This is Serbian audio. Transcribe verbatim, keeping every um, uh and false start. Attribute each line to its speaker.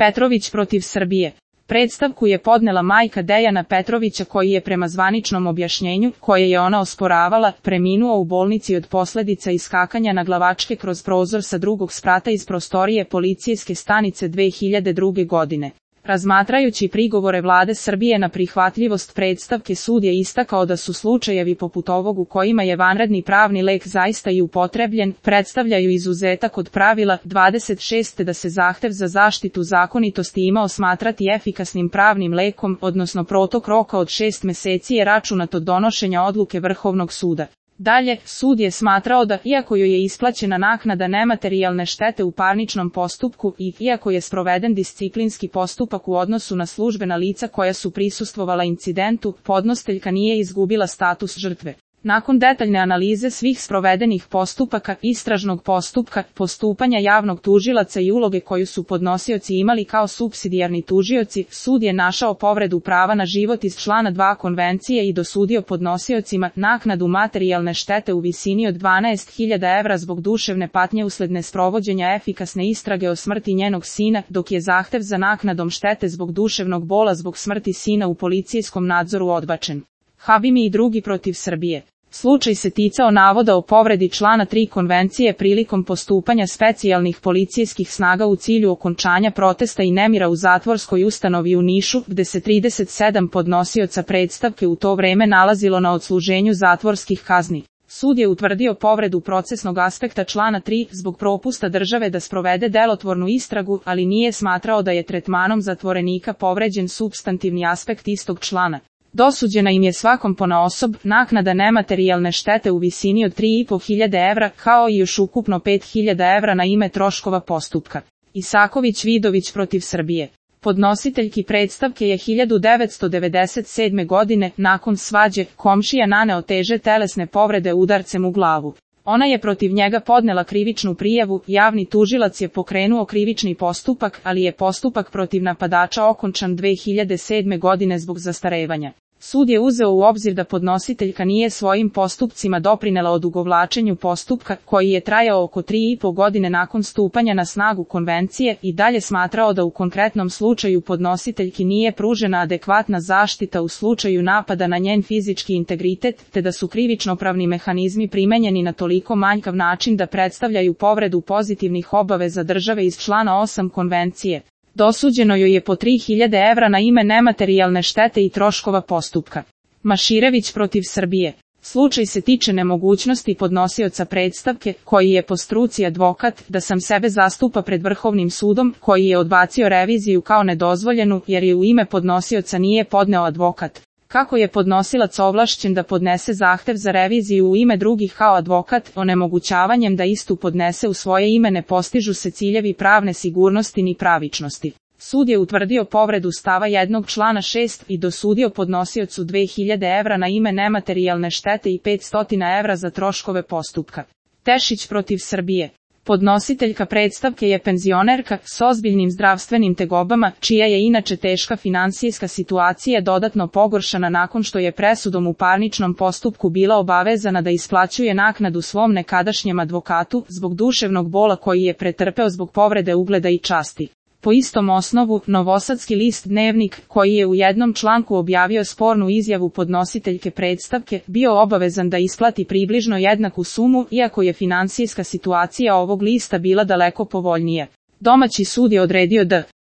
Speaker 1: Petrović protiv Srbije. Predstavku je podnela majka Dejana Petrovića koji je prema zvaničnom objašnjenju, koje je ona osporavala, preminuo u bolnici od posledica iskakanja naglavačke kroz prozor sa drugog sprata iz prostorije policijske stanice dve hiljade druge. godine. Razmatrajući prigovore vlade Srbije na prihvatljivost predstavke, sud je istakao da su slučajevi poput ovog u kojima je vanredni pravni lek zaista i upotrebljen, predstavljaju izuzetak od pravila dvadeset šest da se zahtev za zaštitu zakonitosti imao smatrati efikasnim pravnim lekom, odnosno protok roka od šest meseci je računat od donošenja odluke Vrhovnog suda. Dalje, sud je smatrao da, iako joj je isplaćena naknada nematerijalne štete u parničnom postupku i iako je sproveden disciplinski postupak u odnosu na službena lica koja su prisustvovala incidentu, podnositeljka nije izgubila status žrtve. Nakon detaljne analize svih sprovedenih postupaka, istražnog postupka, postupanja javnog tužilaca i uloge koju su podnosioci imali kao supsidijarni tužioci, sud je našao povredu prava na život iz člana dva konvencije i dosudio podnosiocima naknadu materijalne štete u visini od dvanaest hiljada evra zbog duševne patnje usled nesprovođenja efikasne istrage o smrti njenog sina, dok je zahtev za naknadom štete zbog duševnog bola zbog smrti sina u policijskom nadzoru odbačen. Habimi i drugi protiv Srbije. Slučaj se ticao navoda o povredi člana tri konvencije prilikom postupanja specijalnih policijskih snaga u cilju okončanja protesta i nemira u zatvorskoj ustanovi u Nišu, gde se trideset sedam podnosioca predstavke u to vreme nalazilo na odsluženju zatvorskih kazni. Sud je utvrdio povredu procesnog aspekta člana tri zbog propusta države da sprovede delotvornu istragu, ali nije smatrao da je tretmanom zatvorenika povređen supstantivni aspekt istog člana. Dosuđena im je svakom ponaosob naknada nematerijalne štete u visini od tri i po hiljade evra, kao i još ukupno pet hiljada evra na ime troškova postupka. Isaković Vidović protiv Srbije. Podnositeljki predstavke je hiljadu devetsto devedeset sedme. godine, nakon svađe, komšija naneo teže telesne povrede udarcem u glavu. Ona je protiv njega podnela krivičnu prijavu, javni tužilac je pokrenuo krivični postupak, ali je postupak protiv napadača okončan dve hiljade sedme. godine zbog zastarevanja. Sud je uzeo u obzir da podnositeljka nije svojim postupcima doprinela odugovlačenju postupka, koji je trajao oko tri i po godine nakon stupanja na snagu konvencije, i dalje smatrao da u konkretnom slučaju podnositeljki nije pružena adekvatna zaštita u slučaju napada na njen fizički integritet, te da su krivičnopravni mehanizmi primenjeni na toliko manjkav način da predstavljaju povredu pozitivnih obaveza države iz člana osam konvencije. Dosuđeno joj je po tri hiljade evra na ime nematerijalne štete i troškova postupka. Maširević protiv Srbije. Slučaj se tiče nemogućnosti podnosioca predstavke, koji je po struci advokat, da sam sebe zastupa pred Vrhovnim sudom, koji je odbacio reviziju kao nedozvoljenu, jer je u ime podnosioca nije podneo advokat. Kako je podnosilac ovlašćen da podnese zahtev za reviziju u ime drugih kao advokat, onemogućavanjem da istu podnese u svoje ime ne postižu se ciljevi pravne sigurnosti ni pravičnosti. Sud je utvrdio povredu stava jednog člana šest i dosudio podnosiocu dve hiljade evra na ime nematerijalne štete i petsto evra za troškove postupka. Tešić protiv Srbije. Podnositeljka predstavke je penzionerka s ozbiljnim zdravstvenim tegobama, čija je inače teška finansijska situacija dodatno pogoršana nakon što je presudom u parničnom postupku bila obavezana da isplaćuje naknadu svom nekadašnjem advokatu zbog duševnog bola koji je pretrpeo zbog povrede ugleda i časti. Po istom osnovu, novosadski list Dnevnik, koji je u jednom članku objavio spornu izjavu podnositeljke predstavke, bio obavezan da isplati približno jednaku sumu, iako je finansijska situacija ovog lista bila daleko povoljnija. Domaći sud je odredio da